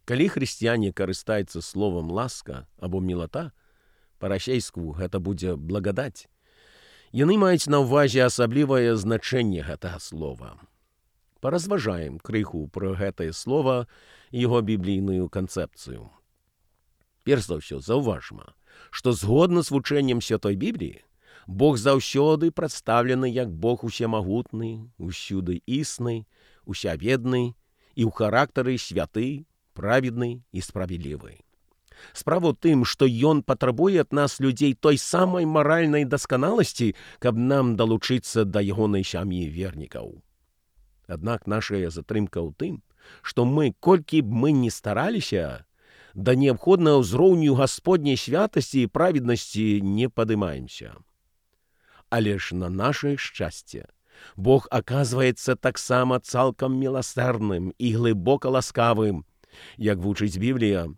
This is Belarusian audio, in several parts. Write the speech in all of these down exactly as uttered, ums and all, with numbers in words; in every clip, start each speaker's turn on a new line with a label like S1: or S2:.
S1: Калі хрысціяне карыстаюцца словам ласка або мілата, па-расейску гэта будзе благадаць, яны маюць на ўвазе асаблівае значэнне гэтага слова. Паразважаем крыху пра гэтае слова і яго біблійную канцэпцыю. Перш за ўсё, заўважма, што згодна з вучэннем Святой Бібліі, Бог заўсёды прадстаўлены як Бог усемагутны, усюды існы, усяведны і ў характары святы, праведны і справядлівы. Справа ў тым, што Ён патрабуе ад нас, людзей, той самай маральнай дасканаласці, каб нам далучыцца да ягонай сям'і вернікаў. Аднак нашая затрымка ў тым, што мы, колькі б мы ні стараліся, да неабходнага ўзроўню Гасподняй святасці і праведнасці не падымаемся. Але ж на нашае шчасце Бог аказваецца таксама цалкам міласэрным і глыбока ласкавым. Як вучыць Біблія,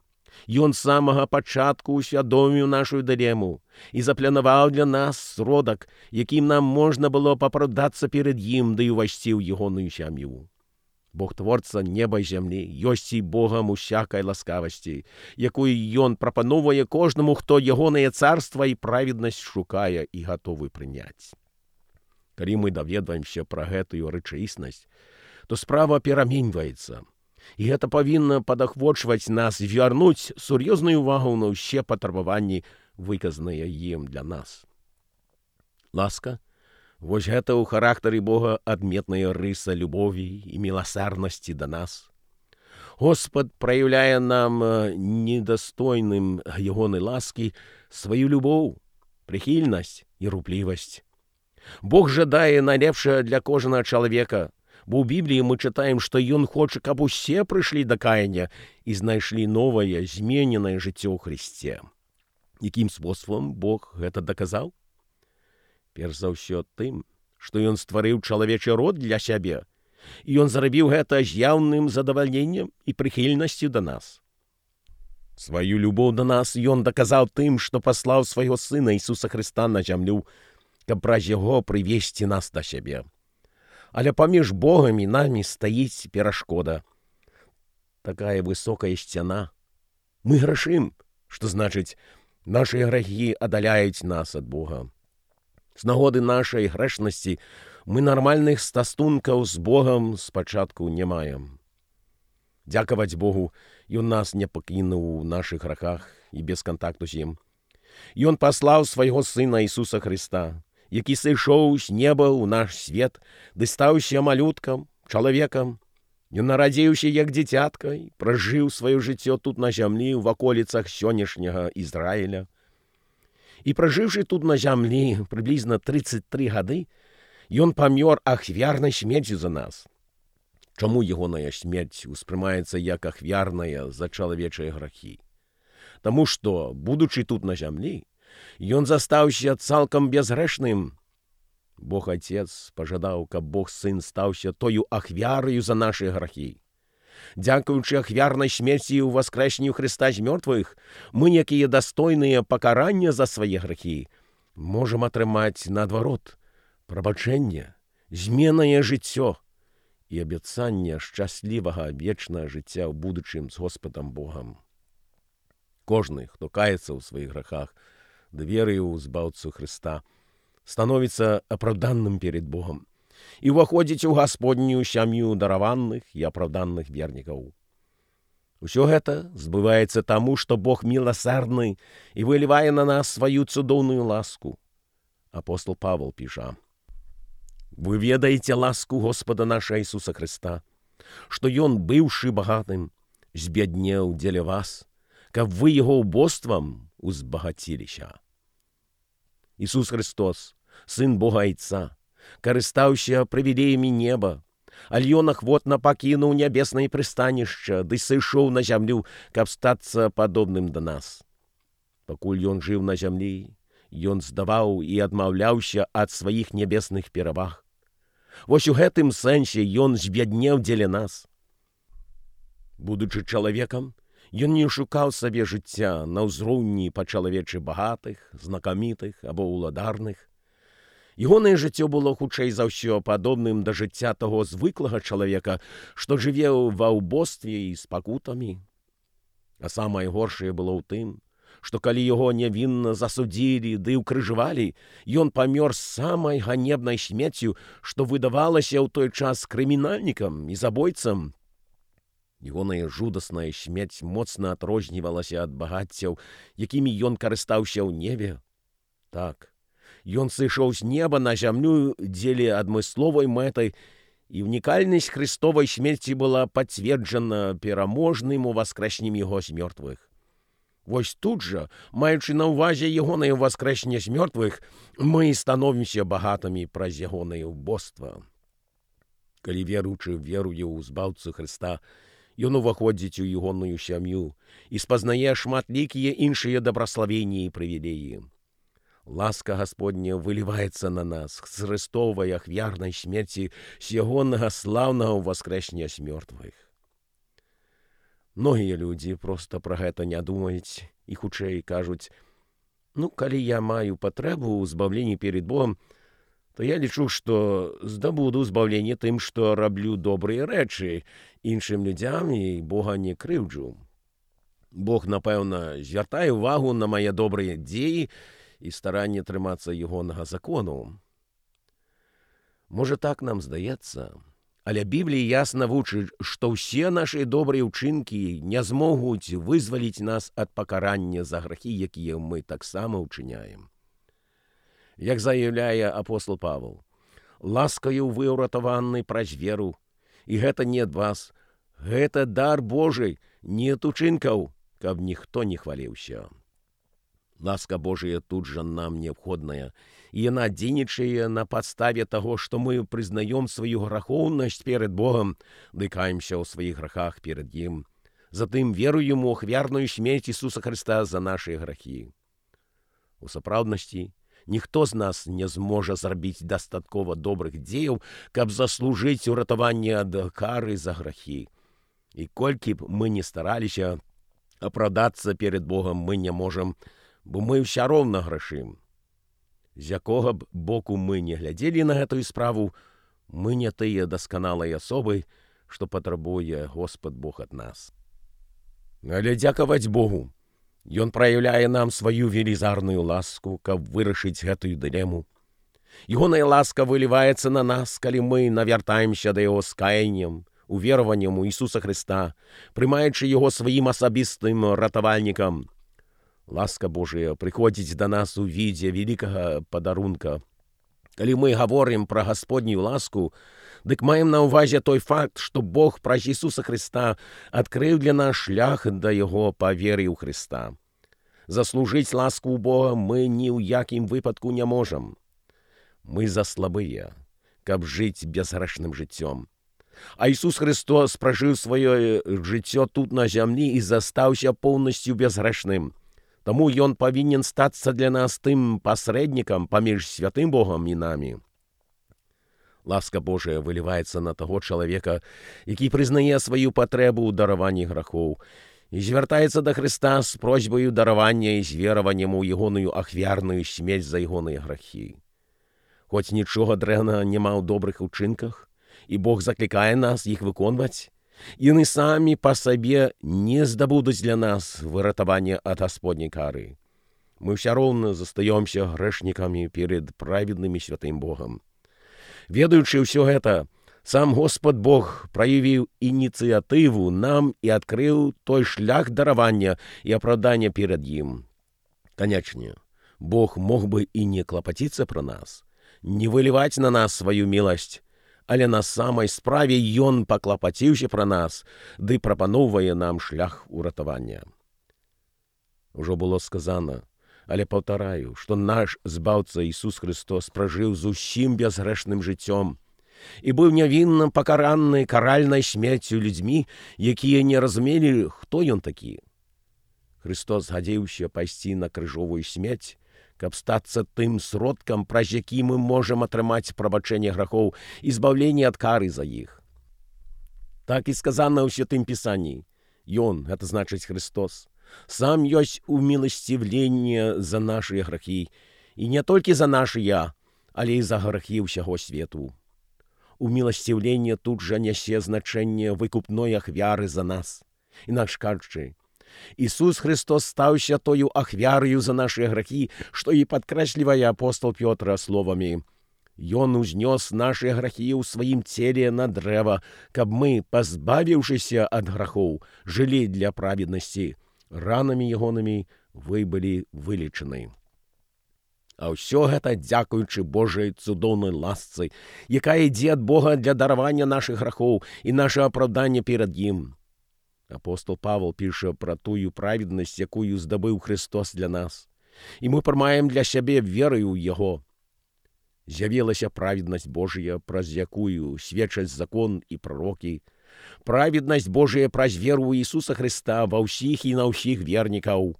S1: Ён з самага пачатку усвядоміў нашу дылему і запланаваў для нас сродак, якім нам можна было папраўдацца перад ім ды ўвайсці ў ягоную сям'ю. Бог творца неба і зямлі ёсць і Богам усякай ласкавасці, якую Ён прапановвае кожнаму, хто ягонае царства і праведнасць шукае і гатовы прыняць. Калі мы даведваемся пра гэтую рэчаіснасць, то справа пераменьваецца. І гэта павінна падахвочваць нас вярнуць сур'ёзную ўвагу на ўсе патрабаванні, выказаныя ім для нас. Ласка, вось гэта ў характары Бога адметная рыса любові і міласэрнасці да нас. Господ праяўляе нам недастойным ягонай ласкі сваю любоў, прыхільнасць і руплівасць. Бог жадае найлепшае для кожнага чалавека, бо ў Бібліі мы чытаем, што Ён хоча, каб усе прыйшлі да каяння і знайшлі новае, змененае жыццё ў Хрысце. Якім спосабам Бог гэта даказаў? Перш за ўсё тым, што Ён стварыў чалавечы род для сябе, і Ён зрабіў гэта з яўным задавальненнем і прыхільнасцю да нас. Сваю любоў да нас Ён даказаў тым, што паслаў свайго Сына Ісуса Хрыста на зямлю, каб праз яго прывесці нас да сябе. Але паміж Богам і намі стаіць перашкода. Такая высокая сцяна. Мы грашым, што значыць, нашы грахі адаляюць нас ад Бога. З нагоды нашай грэшнасці мы нармальных стасункаў з Богам спачатку не маем. Дзякаваць Богу, Ён нас не пакінуў у нашых грахах і без кантакту з ім. Ён паслаў свайго Сына Ісуса Хрыста, які сышоў з неба ў наш свет, ды стаўся малюткам, чалавекам. Ён нарадзіўся як дзіцятка і пражыў сваё жыццё тут на зямлі ў ваколіцах сённяшняга Ізраіля. І пражыўшы тут на зямлі прыблізна трыццаць тры гады, ён памёр ахвярнай смерцю за нас. Чаму ягоная смерць успрымаецца як ахвярная за чалавечыя грахі? Таму што, будучы тут на зямлі, Ён застаўся цалкам бязгрэшным. Бог Отец пажадаў, каб Бог Сын стаўся тою ахвяраю за нашы грахі. Дзякуючы ахвярнай смерці і ўваскрэсенню Хрыста з мёртвых, мы, якія дастойныя пакарання за свае грахі, можам атрымаць наадварот прабачэнне, зменнае жыццё і абяцанне шчаслівага вечнага жыцця ў будучым з Господам Богам. Кожны, хто каецца ў сваіх грахах, ды верыў у збаўцу Хрыста, становіцца апраўданным перед Богом і ўваходзіць у Гасподнюю сям'ю дараваных і апраўданных вернікаў. Усё гэта збываецца таму, што Бог міласэрны і вылівае на нас сваю цудоўную ласку. Апостол Павел піша: «Вы ведаеце ласку Господа наша Ісуса Хрыста, што Ён, быўшы багатым, збяднеў дзеля вас, каб вы Яго убоствам узбагаціліся». Ісус Христос, Сын Бога Айца, карыстаўся прывілеямі неба, але Ён ахвотна пакінуў нябеснае прыстанішча ды сышоў на зямлю, каб стацца падобным да нас. Пакуль Ён жыў на зямлі, Ён здаваў і адмаўляўся ад сваіх нябесных пераваг. Вось у гэтым сэнсе Ён збяднеў дзеля нас. Будучы чалавекам, Ён не шукаў сабе жыцця на ўзроўні па-чалавечы багатых, знакамітых або ўладарных. Ягонае жыццё было хутчэй за ўсё падобным да жыцця таго звыклага чалавека, што жыве ва ўбостве і з пакутамі. А самае горшае было ў тым, што калі яго нявінна засудзілі ды ўкрыжавалі, ён памёр самай ганебнай смерцю, што выдавалася ў той час крымінальнікам і забойцам. Ягоная жудасная смерць моцна адрознівалася ад багаццяў, якімі ён карыстаўся ў небе. Так, ён сышоў з неба на зямлю дзеля адмысловай мэтай, і унікальнасць Христовай смерці была пацверджана пераможным уваскрэсеннем яго з мёртвых. Вось тут жа, маючы на ўвазе ягонае воскрэсенне з мёртвых, мы становімся багатымі праз ягонае ўбоства. Калі веруючы веруе ў збаўцу Христа, ён уваходзіць у ягоную сям'ю і спазнае шматлікія іншыя дабраславенні і прывілеі. Ласка Гасподня выліваецца на нас з Христовай ахвярнай смерці, з ягонага слаўнага ўваскрэсення з мёртвых. Многія людзі проста пра гэта не думаюць і хутчэй кажуць: «Ну, калі я маю патрэбу ў збаўленні перед Богом, то я лічу, што здабуду збаўленне тым, што раблю добрыя рэчы іншым людзям і Бога не крыўджу. Бог, напэўна, звяртае ўвагу на мае добрыя дзеі і старанне трымацца ягонага закону». Можа, так нам здаецца, але Біблія ясна вучыць, што ўсе нашы добрыя ўчынкі не змогуць вызваліць нас ад пакарання за грахі, якія мы таксама ўчыняем. Як заяўляе апостол Павел, ласкаю вы ўратаваны праз веру, і гэта не ад вас, гэта дар Божий, не ад учынкаў, каб ніхто не хваліўся. Ласка Божия тут жа нам неабходная, і яна дзейнічае на падставе таго, што мы прызнаём сваю грахоўнасць перед Богом, ды каемся ў сваіх грахах перед ім, затым веруем у ахвярную смерць Ісуса Христа за нашы грахі. У сапраўднасці, ніхто з нас не зможа зрабіць дастаткова добрых дзеяў, каб заслужыць уратаванне ад кары за грахі. І колькі б мы не стараліся, апрадацца перед Богом мы не можам, бо мы ўсё роўна грашым. З якога б боку мы не глядзелі на гэтую справу, мы не тыя дасканалыя асобы, што патрабуе Господ Бог ад нас. Але дзякаваць Богу, Ён праяўляе нам сваю велізарную ласку, каб вырашыць гэтую дылему. Ягоная ласка выліваецца на нас, калі мы навяртаемся да яго з каяннем, увераваннем у Ісуса Христа, прымаючы яго сваім асабістым ратавальнікам. Ласка Божия прыходзіць да нас у відзе вялікага падарунка. Калі мы гаворым пра Гасподнюю ласку, дык маем на ўвазе той факт, што Бог праз Ісуса Христа адкрыў для нас шлях да яго па веры ў Христа. Заслужыць ласку ў Бога мы ні ў якім выпадку не можам. Мы заслабыя, каб жыць безгрэшным жыццём. А Ісус Христос пражыў сваё жыццё тут на зямлі і застаўся поўнасцю безгрэшным. Таму ён павінен стацца для нас тым пасрэднікам паміж святым Богом і намі. Ласка Божия выліваецца на таго чалавека, які прызнае сваю патрэбу ў дараванні грахоў і звяртаецца да Христа з просьбаю даравання і з вераваннем у ягоную ахвярную смерць за ягоныя грахі. Хоць нічога дрэннага няма ў добрых учынках, і Бог заклікае нас іх выконваць, яны самі па сабе не здабудуць для нас выратавання ад Гасподняй кары. Мы ўсё роўна застаёмся грэшнікамі перед праведным і святым Богом. Ведаючы ўсё гэта, сам Господ Бог праявіў ініцыятыву нам і адкрыў той шлях даравання і апраўдання перад ім. Канечне, Бог мог бы і не клапаціцца пра нас, не выліваць на нас сваю міласць, але на самай справе ён паклапаціўся пра нас, ды прапаноўвае нам шлях уратавання. Ужо было сказана, але паўтараю, што наш збаўца Ісус Христос пражыў зусім безгрэшным жыццём і быў нявінна пакараны каральнай смерцю людзьмі, якія не разумелі, хто ён такі. Христос згадзіўся пайсці на крыжовую смерць, каб стацца тым сродкам, праз які мы можам атрымаць прабачэнне грахоў і збаўленне ад кары за іх. Так і сказана ў Святым Пісанні. Ён, гэта значыць Христос, сам ёсць уміласцівленне за нашыя грахі, і не толькі за нашыя, але і за грахі ўсяго свету. Уміласцівленне тут жа нясе значэнне выкупной ахвяры за нас. Інакш кажучы, Ісус Христос стаўся тою ахвяраю за нашыя грахі, што і падкрэслівае апостол Пётра словамі: «Ён узнёс нашыя грахі ў сваім целе на дрэва, каб мы, пазбавіўшыся ад грахоў, жылі для праведнасці. Ранамі ягонымі вы былі вылечаны». А ўсё гэта дзякуючы Божай цудоўнай ласцы, якая ідзе ад Бога для даравання нашых грахоў і нашага апраўдання перад ім. Апостол Павел піша пра тую праведнасць, якую здабыў Христос для нас. І мы прымаем для сябе верою ў Яго. З'явілася праведнасць Божая, праз якую сведчаць закон і прарокі. Праведнасць Божая праз веру ў Ісуса Христа ва ўсіх і на ўсіх вернікаў.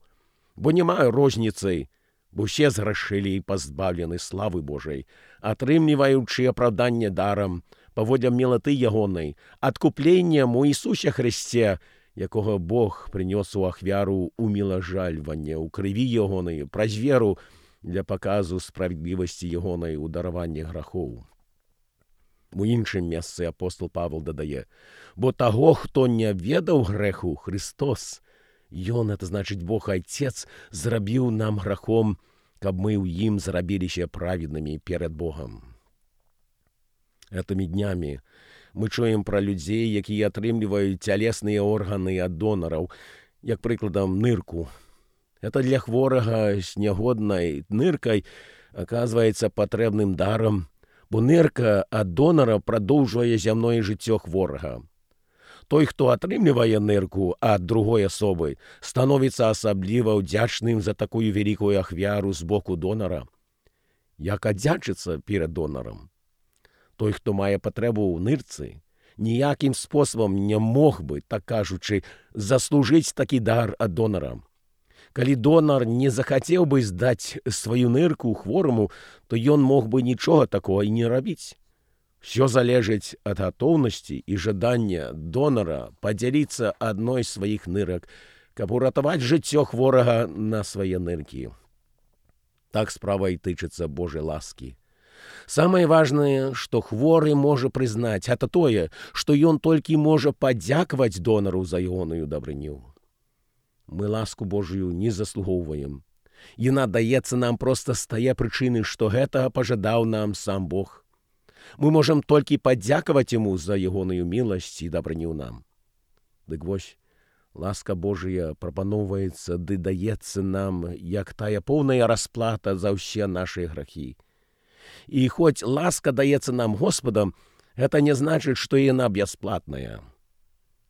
S1: Бо няма розніцы, бо ўсе зграшылі і пазбаўлены славы Божай, атрымліваючы апраўданне дарам, паводле мілаты ягонай, адкупленнем у Ісусе Христе, якога Бог прынёс у ахвяру умілажальвання ў крыві ягонай, праз веру для паказу справядлівасці ягонай у дараванні грахоў. У іншым месцы апостол Павел дадае: «Бо таго, хто не ведаў грэху, Христос, Ён, это значыць Бог Айцец, зрабіў нам грахом, каб мы ў ім зрабіліся праведнымі перад Богом». Этымі днямі мы чуем пра людзей, якія атрымліваюць цялесныя органы ад донараў, як прыкладам нырку. Это для хворага з нягоднай ныркай аказваецца патрэбным дарам, бо нырка ад донара прадоўжвае зямное жыццё хворага. Той, хто атрымлівае нырку ад другой асобы, становіцца асабліва ўдзячным за такую вялікую ахвяру з боку донара. Як аддзячыцца перад донарам? Той, хто мае патрэбу ў нырцы, ніякім спосабам не мог бы, так кажучы, заслужыць такі дар ад донара. Калі донар не захацеў бы здаць сваю нырку хвораму, то ён мог бы нічога такога і не рабіць. Всё залежыць ад гатоўнасці і жадання донара падзяліцца адной з сваіх нырак, каб уратаваць жыццё хворага на свае ныркі. Так справа і тычыцца Божай ласкі. Самае важнае, што хворы можа прызнаць, гэта тое, што ён толькі можа падзякаваць донару за ягоную дабрыню. Мы ласку Божую не заслугоўваем. Яна даецца нам проста з тае прычыны, што гэтага пажадаў нам сам Бог. Мы можам толькі падзякаваць Яму за ягоную міласць і дабрыню нам. Дык вось, ласка Божая прапаноўваецца ды даецца нам, як тая поўная расплата за ўсе нашы грахі. І хоць ласка даецца нам Господам, гэта не значыць, што яна бясплатная.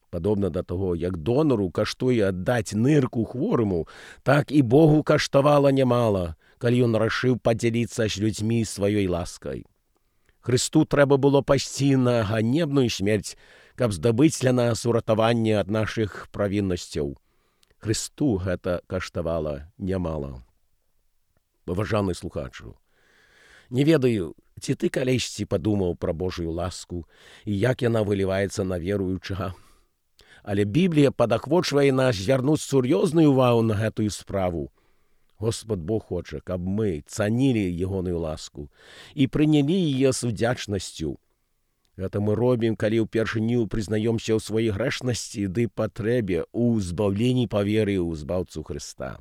S1: Падобна да таго, як донару каштуе аддаць нырку хвораму, так і Богу каштавала нямала, калі ён рашыў падзяліцца з людзьмі сваёй ласкай. Хрысту трэба было пайсці на ганебную смерць, каб здабыць для нас уратаванне ад нашых правіннасцяў. Хрысту гэта каштавала нямала. Паважаны слухачу, не ведаю, ці ты калісьці падумаў пра Божую ласку і як яна выліваецца на веруючага. Але Біблія падахвочвае нас звярнуць сур'ёзную ўвагу на гэтую справу. Господ Бог хоча, каб мы цанілі ягоную ласку і прынялі яе з удзячнасцю. Гэта мы робім, калі ўпершыню прызнаёмся ў сваёй грэшнасці ды патрэбе ў збаўленні па веры ў збаўцу Хрыста.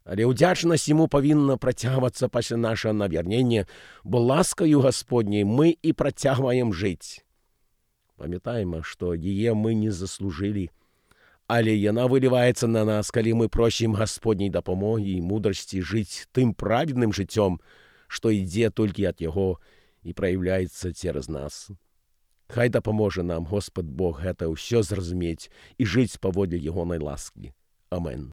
S1: Але ўдзячнасць Яму павінна працягвацца пасля нашага навярнення, бо ласкаю Гасподняй мы і працягваем жыць. Памятаем, што яе мы не заслужылі, але яна выліваецца на нас, калі мы просім Гасподняй дапамогі і мудрасці жыць тым праведным жыццём, што ідзе толькі ад Яго і праяўляецца цераз нас. Хай дапаможа нам Господ Бог гэта ўсё зразумець і жыць паводле ягонай ласкі. Амен.